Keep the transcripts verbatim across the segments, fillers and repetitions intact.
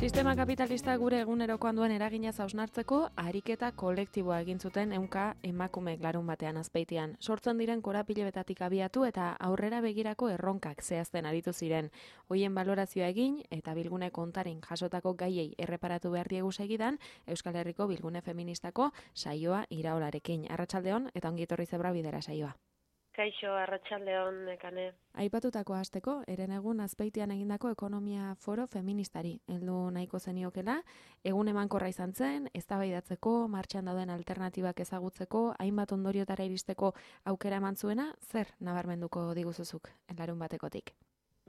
Sistema kapitalista gure egunerokoan duen eragina hausnartzeko ariketa kolektiboa egin zuten ehunka emakumeek larun batean Azpeitian. Sortzen diren korapilebetatik abiatu eta aurrera begirako erronkak zehazten aritu ziren. Hoien balorazioa egin eta bilgune kontaren jasotako gaiei erreparatu behar diegu segidan Euskal Herriko bilgune feministako saioa iraolarekin. Arratsaldeon eta ongi etorri zebra bidera saioa. Kaixo, arratsaldeon, Nekane. Aipatutako hasteko, herenegun Azpeitian egindako ekonomia foro feministari heldu nahiko zeniokela, egun emankorra izan zen, eztabaidatzeko, martxan dauden alternatibak ezagutzeko, hainbat ondoriotara iristeko aukera eman zuena, zer nabarmenduko diguzuzuk larun batekotik?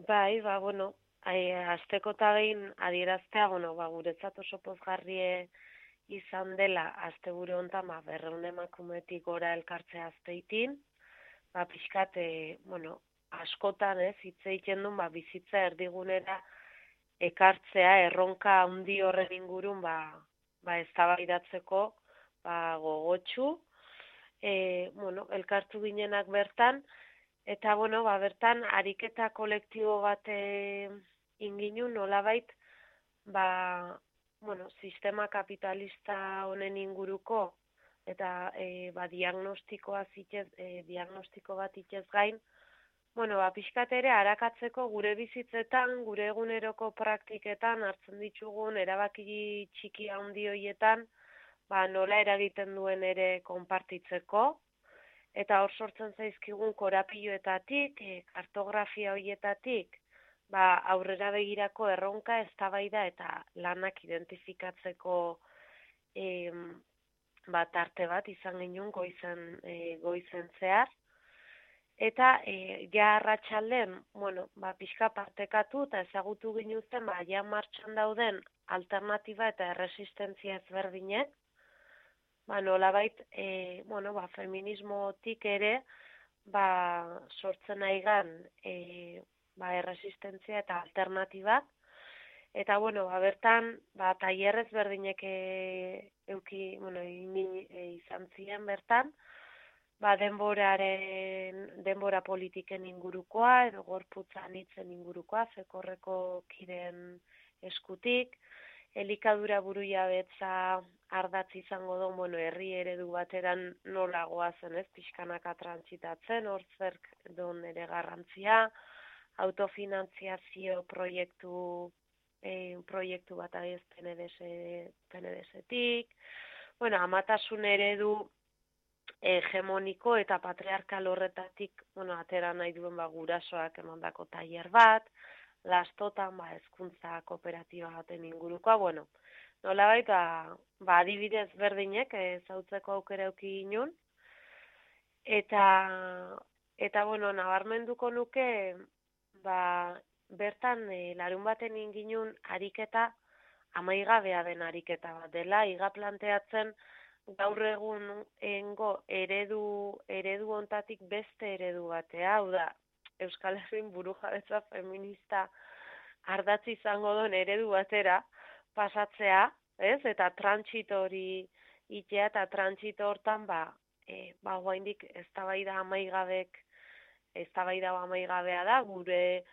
Bai, ba, bueno, hasteko eta behin adieraztea, bueno, ba, guretzat oso pozgarrie izan dela, asteburu honetan, ba, berrehun emakumetik gora elkartzea Azpeitin, ba, pixkat, e, bueno, askotan, ez, hitz egiten duen, ba, bizitza erdigunera ekartzea, erronka handi horren ingurun, ba, ba, eztabaidatzeko, ba, gogotsu, e, bueno, elkartu ginenak bertan, eta, bueno, ba, bertan, ariketa kolektibo bat e, inginu, nolabait, ba, bueno, sistema kapitalista honen inguruko, eta e, ba, diagnostikoa zitez, e, diagnostiko bat itez gain, bueno, ba, pixkat ere arakatzeko gure bizitzetan, gure eguneroko praktiketan hartzen ditugun erabaki txiki handi horietan, ba, nola eragiten duen ere konpartitzeko, eta hor sortzen zaizkigun korapiloetatik, e, kartografia horietatik, ba, aurrera begirako erronka, eztabaida eta lanak identifikatzeko e, bat arte bat izan genuen goizen, e, goizen zehar. Eta e, ja arratsalden, bueno, ba, pixka partekatu eta ezagutu ginuzten, ba, ja martxan dauden alternatiba eta erresistentzia ezberdinek, ba, nolabait, e, bueno, ba, feminismotik ere, ba, sortzen aigan, e, ba, erresistentzia eta alternatibak, eta, bueno, ba, bertan, ba, tailerrez berdinek e, euki, bueno, e, izan ziren bertan, ba, denboraren, denbora politiken ingurukoa, edo gorputza anitzen ingurukoa, fekorreko kideen eskutik, elikadura burujabetza ardatz izango du, bueno, herri eredu bateran nola goazen, ez, pixkanaka trantsitatzen, hor zerk don ere garrantzia, autofinantziazio proiektu E, proiektu bat agiz P N D S-etik, bueno, amatasun eredu hegemoniko eta patriarkal horretatik, bueno, atera nahi duen ba, gurasoak emandako tailer bat, lastotan, ba, hezkuntza kooperatiba baten ingurukoa, bueno, nolabait, ba, ba, adibidez berdinek ezautzeko aukera eduki ginen, eta, eta, bueno, nabarmenduko nuke, ba, bertan, e, larun baten inginun ariketa amaigabea den ariketa bat dela, iga planteatzen gaur egun engo eredu, eredu ontatik beste eredu batea, hau da, Euskal Herrin burujabetza feminista ardatzi izango den eredu batera pasatzea, ez? Eta trantsito hori itea eta trantsito hortan, ba, e, ba, guaindik eztabaida amaigabek, eztabaida amaigabea da, gure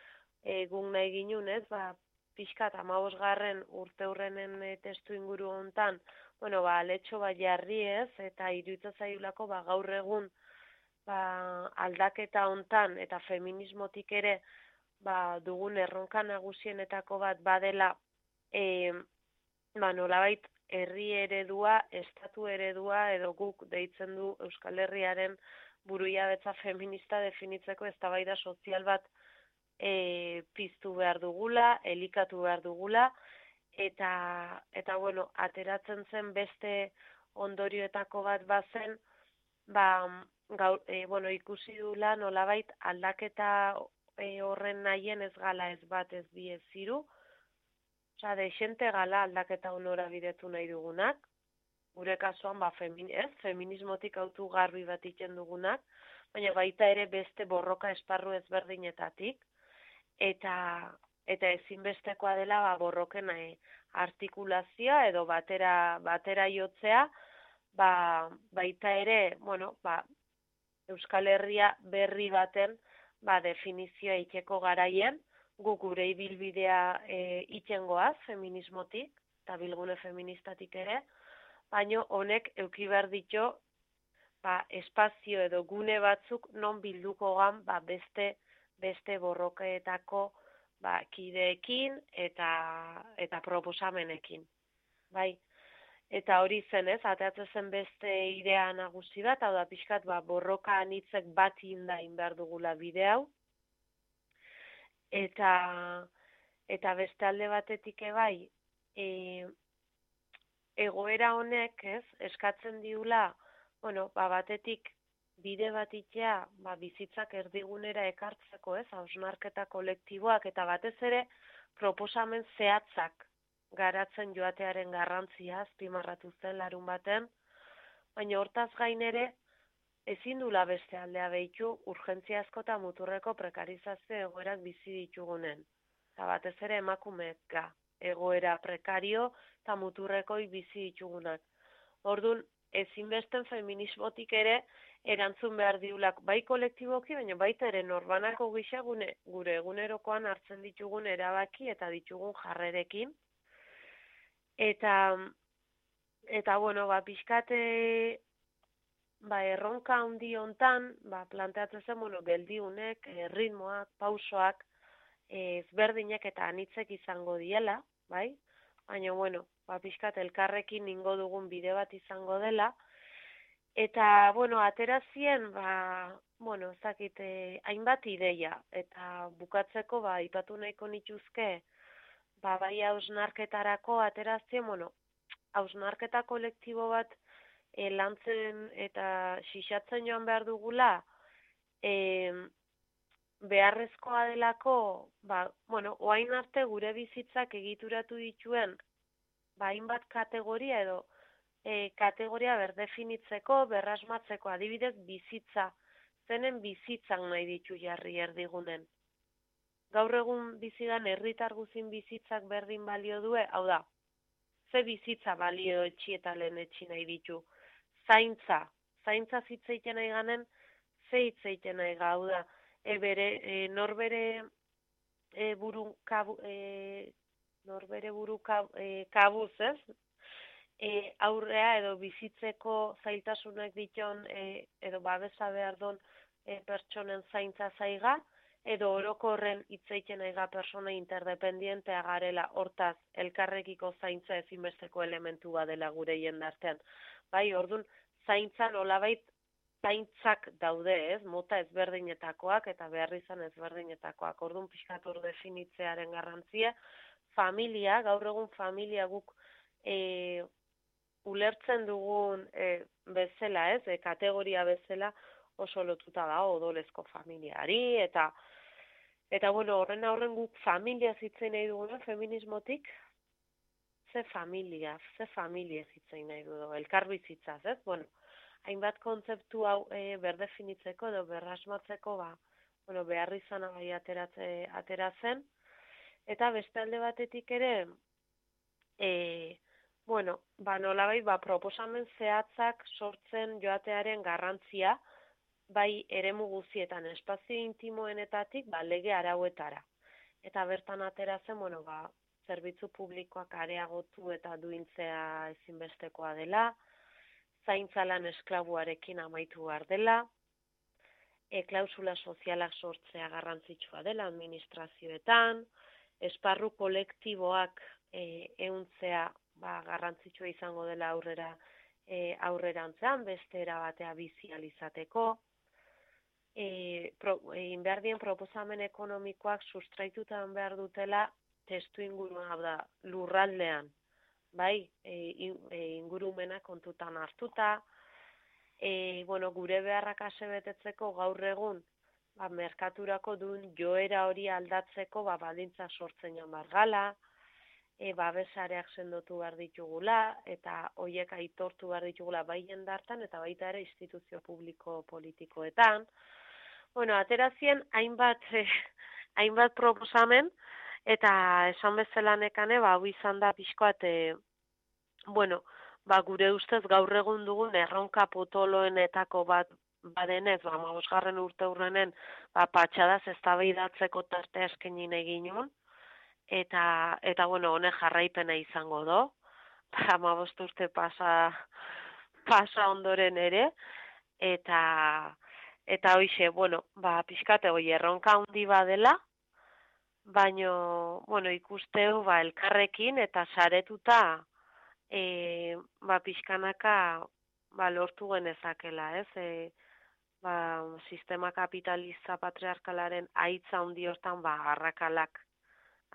egun nahi ginun, ez, ba, pixkat amabosgarren urte hurrenen e, testu inguru hontan, bueno, ba, aletxo bat jarri ez, eta iruditzen zaiulako, ba, gaur egun, ba, aldaketa hontan, eta feminismotik ere, ba, dugun erronka nagusienetako bat badela, e, ba, nolabait, herri eredua, estatu eredua, edo guk deitzen du Euskal Herriaren burujabetza feminista definitzeko eztabaida sozial bat E, piztu behar dugula, elikatu behar dugula, eta, eta bueno, ateratzen zen beste ondorioetako bat bazen, ba, gaur, e, bueno, ikusi dula nolabait aldaketa e, horren nahien ez gala ez bat ez bi ez ziru, oza, desente gala aldaketa honora bidetu nahi dugunak, gure kasuan, ba, femin, ez, feminismotik autu garbi bat iten dugunak, baina baita ere beste borroka esparru ezberdinetatik, eta eta ezinbestekoa dela ba, borroken eh, artikulazioa edo batera batera jotzea, ba, baita ere, bueno, ba, Euskal Herria berri baten ba, definizioa ikeko garaien, gu gure ibilbidea e, itengoaz feminismotik, eta bilgune feministatik ere, baino honek euki behar ditu ba, espazio edo gune batzuk non bilduko gan ba, beste, beste borrokeetako ba, kideekin eta, eta proposamenekin. Bai, eta hori zen ez, ateatzen zen beste idea nagusi bat, hau da pixkat ba, borroka anitzek bat indain behar dugula bide hau, eta, eta beste alde batetik ebai, e, egoera honek ez, eskatzen diula, bueno, ba, batetik bide bat itea, ba, bizitzak erdigunera ekartzeko ez, hausnarketa kolektiboak, eta batez ere proposamen zehatzak garatzen joatearen garrantzia azpimarratu zen larun baten, baina hortaz gain ere ezin dula beste aldea behitu urgentziazko eta muturreko prekarizazio egoerak bizi ditugunen. Eta batez ere emakumeek egoera prekario eta muturrekoi bizi ditugunak. Orduan, ezinbesten feminismotik ere erantzun behar diulak bai kolektiboki, baina baita ere norbanako gisa gune, gure egunerokoan hartzen ditugun erabaki eta ditugun jarrerekin. Eta, eta bueno, ba, pixkate, ba, erronka handi hontan, ba, planteatzen zen, bueno, geldiunek, e, ritmoak, pausoak, ezberdinak eta anitzek izango diela, bai? Baina, bueno, ba, pixkat elkarrekin ningo dugun bide bat izango dela, eta, bueno, aterazien, ba, bueno, ezakit, eh, hainbat ideia, eta bukatzeko, ba, ipatu nahiko nituzke, ba, bai hausnarketarako aterazien, bueno, hausnarketa kolektibo bat e, lantzen eta xixatzen joan behar dugula, e, beharrezkoa delako, ba, bueno, oain arte gure bizitzak egituratu dituen, ba, hainbat kategoria edo e, kategoria berdefinitzeko, berrasmatzeko, adibidez bizitza, zenen bizitzak nahi ditu jarri erdigunen. Gaur egun bizidan herritar guzin bizitzak berdin balio due, hau da, ze bizitza balio etxi eta lehen etxi nahi ditu. Zaintza, zaintza zitzeiten nahi ganen, ze hitzeiten nahi gau da. E bere, e, norbere e, buru, kabu, e, norbere buru kab, e, kabuz, ez? E, aurrea edo bizitzeko zailtasunak diton, e, edo babesa behar don e, pertsonen zaintza zaiga, edo orokorren hitzeiten aiga persona interdependientea garela, hortaz, elkarrekiko zaintza ezinbesteko elementu badela gure jendartean. Bai, orduan, zaintza nolabait zaintzak daude, ez? Mota ezberdinetakoak eta behar izan ezberdinetakoak. Orduan, pixkat hor definitzearen garrantzia, familia, gaur egun familia guk e, ulertzen dugun e, bezala, ez? E, kategoria bezala, oso lotuta da odolezko familiari, eta eta bueno, horren aurren guk familia zitzen nahi duguna, feminismotik, ze familia, ze familia zitzen nahi dugu, elkarbizitzaz, ez? Bueno, hainbat kontzeptu hau e, berdefinitzeko edo berrasmatzeko, ba, bueno, behar izan agai ateratze, ateratzen, eta beste alde batetik ere, e, bueno, ba, nolabait, ba, proposamen zehatzak sortzen joatearen garrantzia, bai eremu guzietan, espazio intimoenetatik, ba, lege arauetara. Eta bertan ateratzen, bueno, ba, zerbitzu publikoak areagotu eta duintzea ezinbestekoa dela, zaintzalan esklabuarekin amaitu behar dela, e, klausula sozialak sortzea garrantzitsua dela administrazioetan, esparru kolektiboak e, ehuntzea ba, garrantzitsua izango dela aurrera e, aurrerantzean, beste erabatea bizializateko, E, pro, e, inberdien proposamen ekonomikoak sustraitutan behar dutela testu ingurua, hau da, lurraldean, bai, e, e, ingurumena kontutan hartuta, e, bueno, gure beharrak asebetetzeko gaur egun, ba, merkaturako duen joera hori aldatzeko, ba, baldintza sortzen joan bargala, e, babesareak sendotu behar ditugula, eta hoiek aitortu behar ditugula bai jendartan, eta baita ere instituzio publiko politikoetan. Bueno, aterazien hainbat, eh, hainbat proposamen, eta esan bezala nekane, ba, hau izan da pixkoat, eh, bueno, ba, gure ustez gaur egun dugun erronka potoloenetako bat badenez, ba, hamabosgarren urte urrenen, ba, patxadaz eztabaidatzeko tartea eskaini egin nun, eta, eta bueno, honek jarraipena izango do, hamabost urte pasa, pasa ondoren ere, eta, eta hoixe, bueno, ba, pixkate hoi erronka handi badela, baino, bueno, ikusteu, ba, elkarrekin eta saretuta, e, ba, pixkanaka, ba, lortu genezakela, ez? E, ba, sistema kapitalista patriarkalaren aitza handi hortan, ba, arrakalak,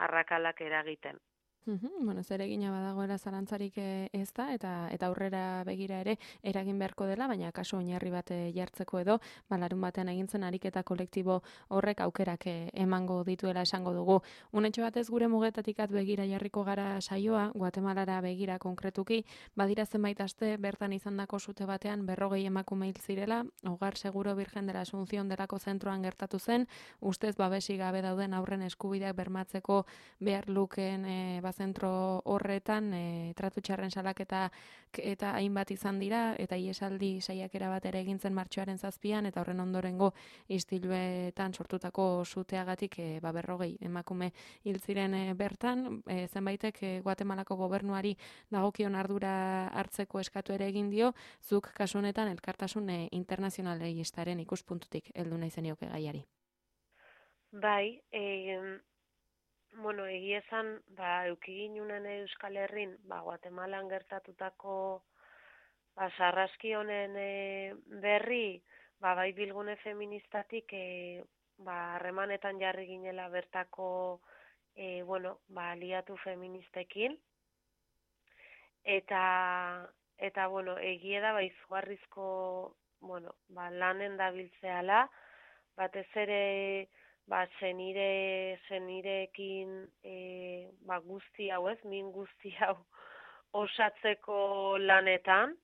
arrakalak eragiten. Mhm, bueno, zeregina badagoela zalantzarik ez da, eta eta aurrera begira ere eragin beharko dela, baina kasu oinarri bat jartzeko edo, ba, larun batean egintzen ariketa kolektibo horrek aukerak emango dituela esango dugu. Unetxo batez gure mugetatik at begira jarriko gara saioa, Guatemalara begira konkretuki, badira zenbait aste bertan izandako sute batean berrogei emakume hil zirela, Hogar Seguro Virgen de la Asunción delako zentroan gertatu zen, ustez babesi gabe dauden aurren eskubideak bermatzeko behar lukeen e, zentro horretan e, tratu txarren salaketa eta hainbat izan dira, eta iesaldi saiakera bat ere egintzen martxoaren zazpian, eta horren ondorengo istiluetan sortutako suteagatik e, ba, berrogei emakume hil ziren e, bertan, e, zenbaitek e, Guatemalako gobernuari dagokion ardura hartzeko eskatu ere egin dio, zuk kasu honetan elkartasun e, internazionalistaren ikuspuntutik heldu nahi zenioke gaiari. Bai, eh, bueno, egia esan, ba, eukiginunen Euskal Herrin, ba, Guatemalan gertatutako ba, sarraski honen e, berri, ba, bai bilgune feministatik, e, ba, harremanetan jarri ginela bertako, e, bueno, ba, aliatu feministekin, eta, eta, bueno, egia da, ba, izugarrizko, bueno, ba, lanen dabiltzeala, batez ere, ba, zenire, zenirekin e, ba, guzti hau ez, min guzti hau osatzeko lanetan.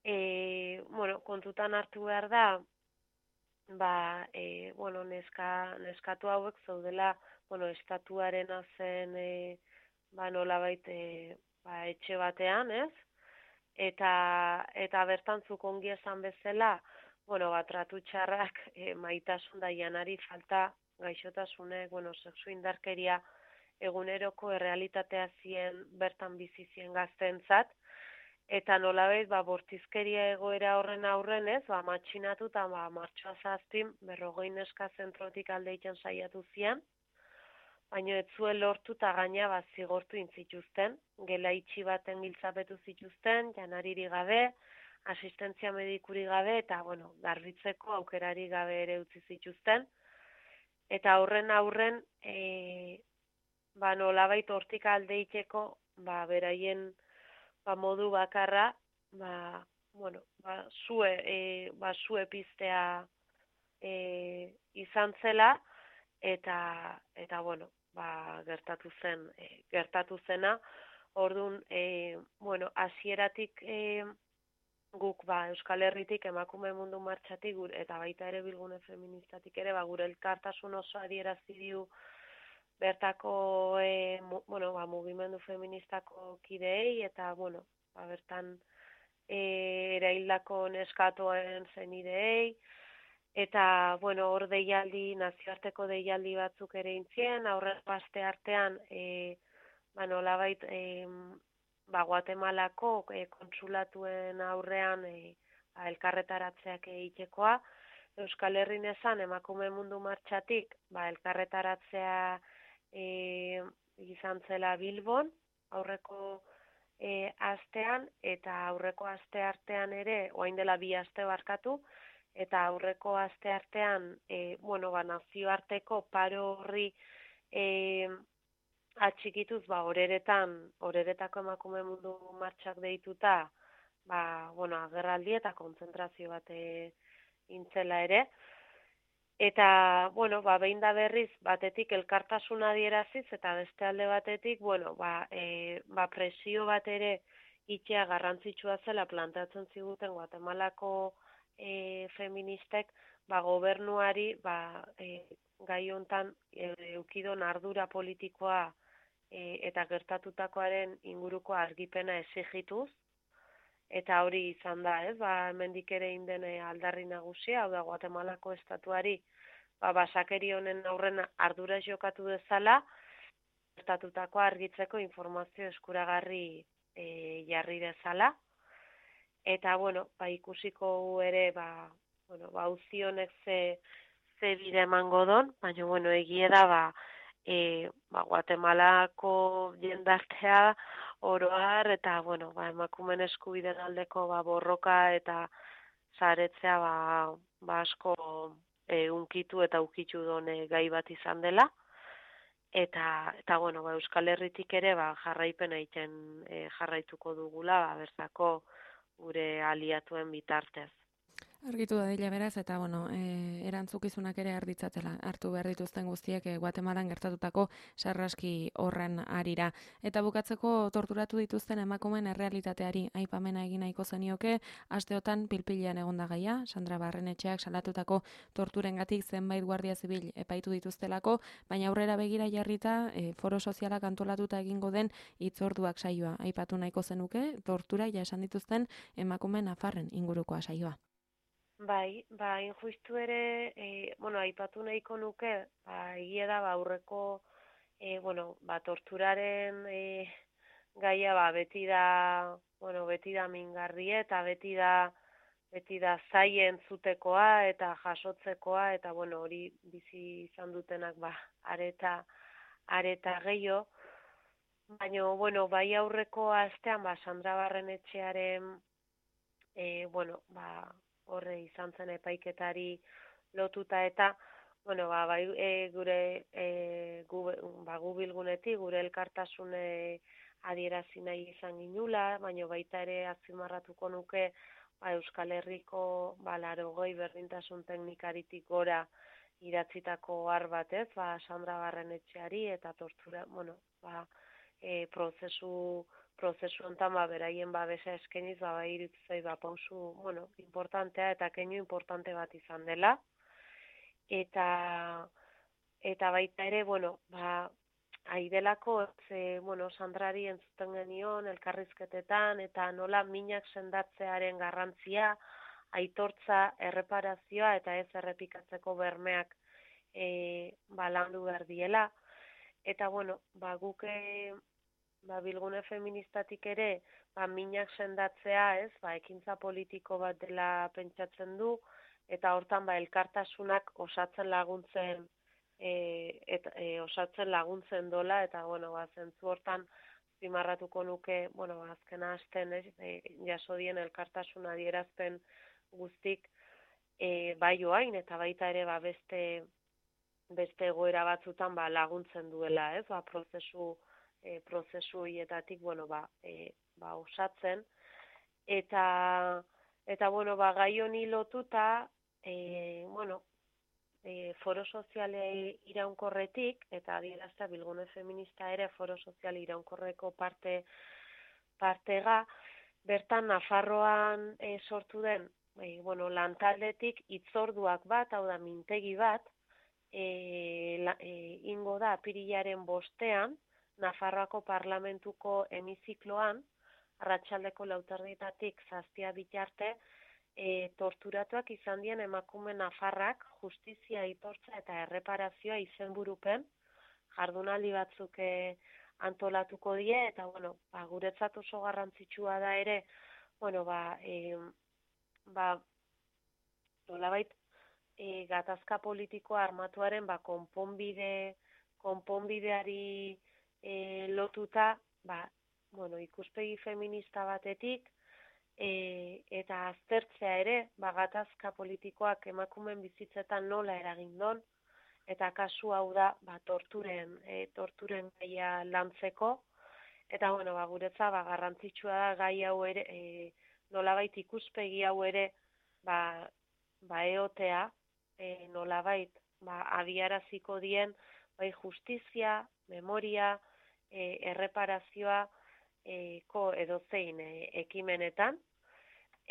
E, bueno, kontutan hartu behar da, ba, e, bueno, neska, neskatu hauek zaudela, bueno, estatuaren zen, e, ba, nolabait, e, ba, etxe batean, ez? Eta, eta bertan zuk ongi esan bezala, bueno, ba, tratu txarrak, e, maitasun da janari falta, gaixotasunek, bueno, sexu indarkeria eguneroko errealitatea zien bertan bizi zien gaztentzat, eta nolabait, ba, bortizkeria egoera horren aurren ez, ba, matxinatu eta ba, martxoa zazpin, berrogei neska zentrotik alde egiten saiatu zian, baina ez zuen lortu eta gaina ba, zigortu intzituzten, gela itxi baten giltzapetu zituzten, janariri gabe, asistentzia medikuri gabe, eta, bueno, garbitzeko aukerari gabe ere utzi zituzten. Eta horren aurren, e, ba, nolabait hortik aldeiteko, ba, beraien ba, modu bakarra, ba, bueno, ba, zue, e, ba, zue piztea e, izan zela, eta, eta bueno, ba, gertatu zen, e, gertatu zena, orduan, e, bueno, hasieratik e, guk ba, Euskal Herritik emakume mundu martxatik gure, eta baita ere bilgune feministatik ere, ba, gure elkartasun oso adierazi dio bertako e, mu, bueno, ba, mugimendu feministako kideei, eta bueno, ba, bertan e, eraildako neskatoen zenideei, eta bueno, hor deialdi, nazioarteko deialdi batzuk ere intzien, aurreko aste artean, e, ba, nolabait, e, ba, Guatemalako e, kontsulatuen aurrean e, ba, elkarretaratzeak egitekoa, Euskal Herrin esan emakume mundu martxatik, ba, elkarretaratzea e, izan zela Bilbon, aurreko e, astean, eta aurreko aste artean ere, orain dela bi aste barkatu, eta aurreko aste artean, e, bueno, ba, nazioarteko paro horri e, atxikituz, ba, horeretan, horeretako emakume mundu martxak deituta, ba, bueno, agerraldi eta kontzentrazio bat intzela ere. Eta, bueno, ba, behin da berriz, batetik elkartasuna adieraziz, eta beste alde batetik, bueno, ba, e, ba, presio bat ere itxea garrantzitsua zela plantatzen ziguten Guatemalako e, feministek, ba, gobernuari, ba, e, gai hontan e, eukidon ardura politikoa e, eta gertatutakoaren inguruko argipena exigituz, eta hori izan da, ez, ba, hemendik ere indene aldarri nagusia, hau da, Guatemalako estatuari, ba, basakeri honen aurren ardura jokatu dezala, gertatutakoa argitzeko informazio eskuragarri e, jarri dezala, eta, bueno, ba, ikusiko ere, ba, bueno, ba, auzi honek ze, ze bide emango don, baina, bueno, egia da, ba, e, ba, Guatemalako jendartea oroar, eta, bueno, ba, emakumen eskubiden aldeko, ba, borroka eta zaretzea, ba, ba asko e, unkitu eta ukitu done gai bat izan dela, eta, eta bueno, ba, Euskal Herritik ere, ba, jarraipen egiten e, jarraituko dugula, ba, bertako gure aliatuen bitartez. Argitu da dila beraz, eta bueno, e, erantzukizunak ere arditzatela, hartu behar dituzten guztiek e, Guatemalan gertatutako sarraski horren arira. Eta bukatzeko torturatu dituzten emakumeen errealitateari aipamena egin nahiko zenioke, asteotan pilpilean egonda gaia, Sandra Barrenetxeak salatutako torturengatik zenbait guardia zibil epaitu dituztelako, baina aurrera begira jarrita e, foro sozialak antolatuta egingo den hitzorduak saioa. Aipatu nahiko zenuke, tortura ja esan dituzten emakumeen nafarren ingurukoa saioa. Bai, ba, injustu ere, e, bueno, aipatu nahiko nuke, ba, egia da, ba, aurreko, e, bueno, ba, torturaren e, gaia, ba, beti da, bueno, beti da mingarri eta beti da, beti da zaien zutekoa eta jasotzekoa, eta, bueno, hori bizi izan dutenak, ba, areta, areta gehiago, baina, bueno, bai aurreko astean, ba, Sandra Barrenetxearen, e, bueno, ba, horre izan zen epaiketari lotuta eta, bueno, ba, bai, e, gure e, gu, ba, gu bilgunetik, gure elkartasune adierazi nahi izan ginula, baina baita ere azpimarratuko nuke ba, Euskal Herriko ba, larogoi berdintasun teknikaritik gora idatzitako har batez, ba, Sandra Barrenetxeari eta tortura, bueno, ba, e, prozesu prozesu hontan ba beraien babesa eskeniz ba iruditzen ba pausu, bueno, importantea eta keinu importante bat izan dela. Eta eta baita ere, bueno, ba aidelako ze, bueno, Sandrari entzuten genion elkarrizketetan eta nola minak sendatzearen garrantzia, aitortza, erreparazioa eta ez errepikatzeko bermeak eh ba landu behar diela. Eta bueno, ba guk ba, bilgune feministatik ere, ba, minak sendatzea, ez, ba, ekintza politiko bat dela pentsatzen du, eta hortan, ba, elkartasunak osatzen laguntzen, e, et, e, osatzen laguntzen dola, eta, bueno, ba, zentzu hortan, zimarratuko nuke, bueno, ba, azkena hasten, ez, e, jaso dien elkartasuna adierazpen guztik, e, bai joain, eta baita ere, ba, beste, beste egoera batzutan, ba, laguntzen duela, ez, ba, prozesu, E, prozesu hietatik, bueno, ba, e, ba, osatzen. Eta, eta bueno, ba, gai honi lotuta, e, bueno, e, foro soziale iraunkorretik, eta adierazta bilgune feminista ere foro soziale iraunkorreko parte, partega, bertan Nafarroan e, sortu den, e, bueno, lantaldetik hitzorduak bat, hau da, mintegi bat, e, la, e, ingo da apirilaren bostean, Nafarroako parlamentuko hemizikloan, arratsaldeko lauterdietatik zazpia bitarte, e, torturatuak izan dien emakume nafarrak justizia aitortza eta erreparazioa izenburupen, jardunaldi batzuk e, antolatuko die, eta bueno, ba, guretzat oso garrantzitsua da ere, bueno, ba, e, ba, nolabait, e, gatazka politikoa armatuaren ba, konponbide, konponbideari E, lotuta, ba, bueno, ikuspegi feminista batetik, e, eta aztertzea ere, ba, gatazka politikoak emakumeen bizitzetan nola eragin don, eta kasu hau da, ba, torturen, e, torturen gaia lantzeko, eta, bueno, ba, guretza, ba, garrantzitsua da gai hau ere, e, nolabait ikuspegi hau ere, ba, ba eotea, e, nolabait, ba, abiaraziko dien, bai, justizia, memoria, E, erreparazioa e, ko edozein e, ekimenetan,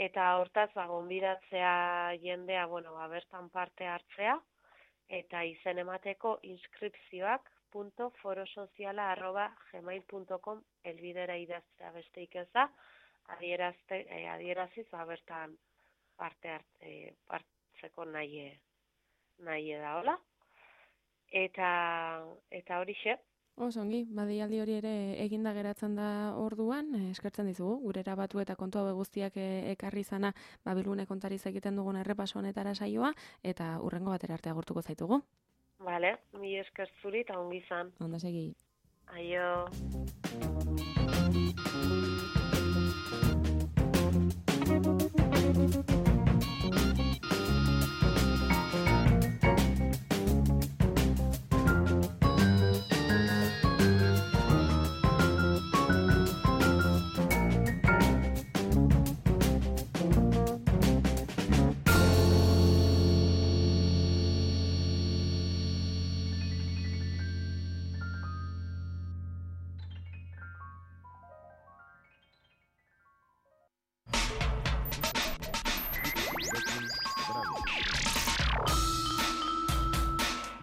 eta hortaz ba, gonbidatzea jendea, bueno, ba, bertan parte hartzea, eta izen emateko inskripzioak punto forosoziala arroba gmail punto com elbidera idaztea besteik ez da, adierazte, e, adieraziz, ba, bertan parte hartze, hartzeko nahi, nahi da, hola? Eta, eta horixe. Oso ongi, badialdi hori ere eginda geratzen da orduan, eskertzen dizugu, gure erabatu eta kontu hau guztiak ekarri izana Babilune kontariz egiten dugun errepaso honetara saioa, eta hurrengo batera arte agurtuko zaitugu. Vale, mi esker zuri eta ongi izan. Onda segi. Aio.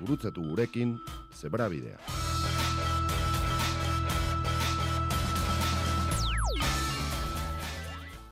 Gurutzatu gurekin Zebrabidea.